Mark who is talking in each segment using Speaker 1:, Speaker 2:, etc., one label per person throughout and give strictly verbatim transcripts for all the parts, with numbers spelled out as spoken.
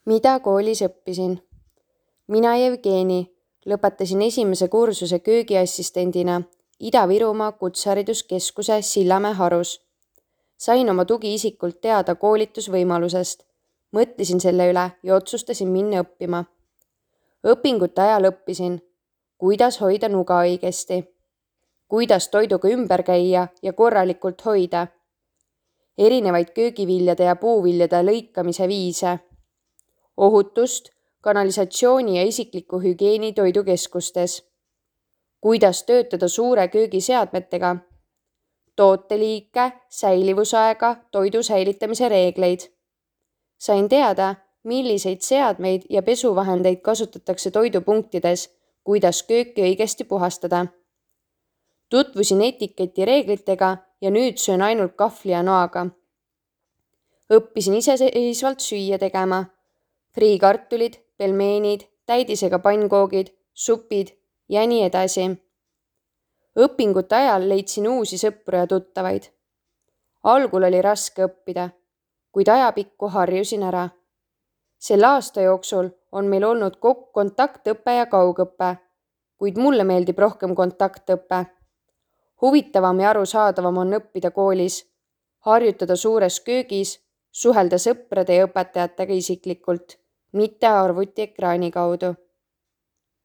Speaker 1: Mida koolis õppisin? Mina Jevgeni lõpetasin esimese kursuse köögiassistendina Ida-Virumaa Kutsehariduskeskuse Sillamäe harus. Sain oma tugiisikult teada koolitusvõimalusest, mõtlesin selle üle ja otsustasin minna õppima. Õpingute ajal õppisin, kuidas hoida nuga õigesti, kuidas toiduga ümber käia ja korralikult hoida, erinevaid köögiviljade ja puuviljade lõikamise viise, ohutust, kanalisatsiooni ja isikliku hügieeni toidukeskustes, kuidas töötada suure köögiseadmetega, tooteliike, säilivusaega, toidu säilitamise reegleid. Sain teada, milliseid seadmeid ja pesuvahendeid kasutatakse toidupunktides, kuidas kööki õigesti puhastada. Tutvusin etiketi reeglitega ja nüüd söön ainult kahvli ja noaga. Õppisin iseseisvalt süüa tegema. Friikartulid, pelmeenid, täidisega pannkoogid, supid ja nii edasi. Õpingute ajal leidsin uusi sõpru ja tuttavaid. Algul oli raske õppida, kuid ajapikku harjusin ära. Selle aasta jooksul on meil olnud kontaktõpe ja kaugõpe, kuid mulle meeldib rohkem kontaktõpe. Huvitavam ja arusaadavam on õppida koolis, harjutada suures köögis, suhelda sõprade ja õpetajatega isiklikult, mitte arvutiekraani kaudu.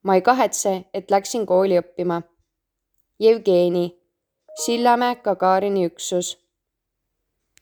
Speaker 1: Ma ei kahetse, et läksin kooli õppima. Jevgeni, Sillamäe Gagarini üksus.